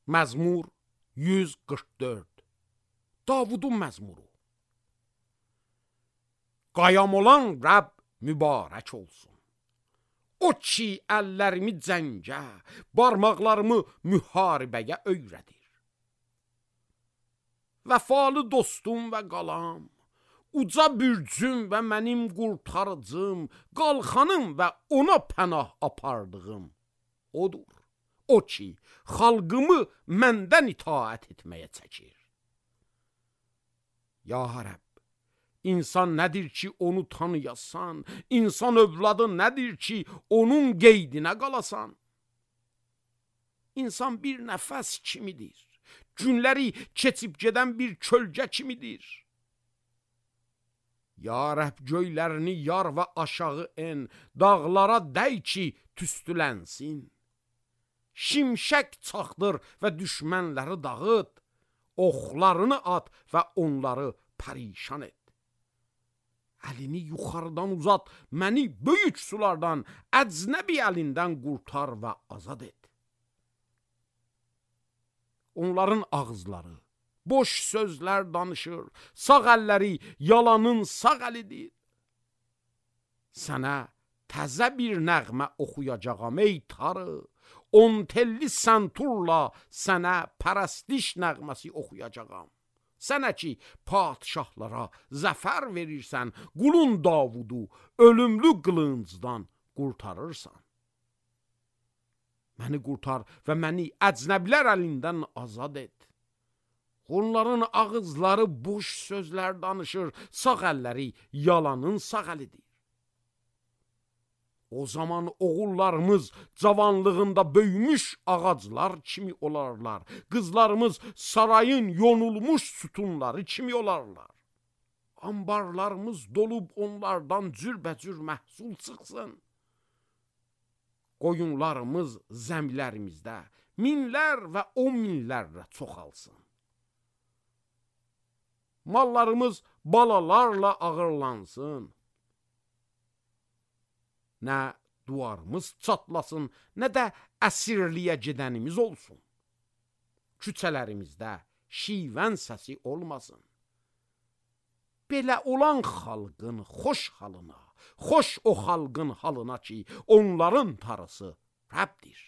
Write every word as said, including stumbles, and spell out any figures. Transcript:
Məzmur yüz qırx dörd. Davudun məzmuru. Qayam olan Rəbb mübarək olsun. O ki, əllərimi cəngə, barmaqlarımı müharibəyə öyrədir. Vəfalı dostum və qalam, uca bürcüm və mənim qurtarıcım, qalxanım və ona pənah apardığım odur. O ki, xalqımı məndən itaət etməyə çəkir. Ya Rəbb, İnsan nədir ki, onu tanıyasan? İnsan övladı nədir ki, onun qeydinə qalasan? İnsan bir nəfəs kimidir. Günləri keçib gedən bir kölgə kimidir. Ya Rəbb, göylərini yar və aşağı en, dağlara dəy ki, tüstülənsin. Şimşək çaxdır və düşmənləri dağıt, oxlarını at və onları pərişan et. Əlini yuxarıdan uzat, məni böyük sulardan, əcnəbi əlindən qurtar və azad et. Onların ağızları boş sözlər danışır, sağ əlləri yalanın sağ əlidir. Sənə təzə bir nəğmə oxuyacağam ey tarı, on telli santurla sənə pərəstiş nəğməsi oxuyacağam. Sənə ki, padişahlara zəfər verirsən, qulun Davudu ölümlü qılıncdan qurtarırsan. Məni qurtar və məni əcnəblər əlindən azad et. Onların ağızları boş sözlər danışır, sağ əlləri yalanın sağ əlidir. O zaman oğullarımız cavanlığında böyümüş ağaclar kimi olarlar. Qızlarımız sarayın yonulmuş sütunları kimi olarlar. Ambarlarımız dolub onlardan cürbəcür məhsul çıxsın. Qoyunlarımız zəmilərimizdə minlər və on minlərlə çoxalsın. Mallarımız balalarla ağırlansın. Nə duvarımız çatlasın, nə də əsirliyə gedənimiz olsun. Küçələrimizdə şivən səsi olmasın. Belə olan xalqın xoş halına, xoş o xalqın halına ki, onların tarısı Rəbdir.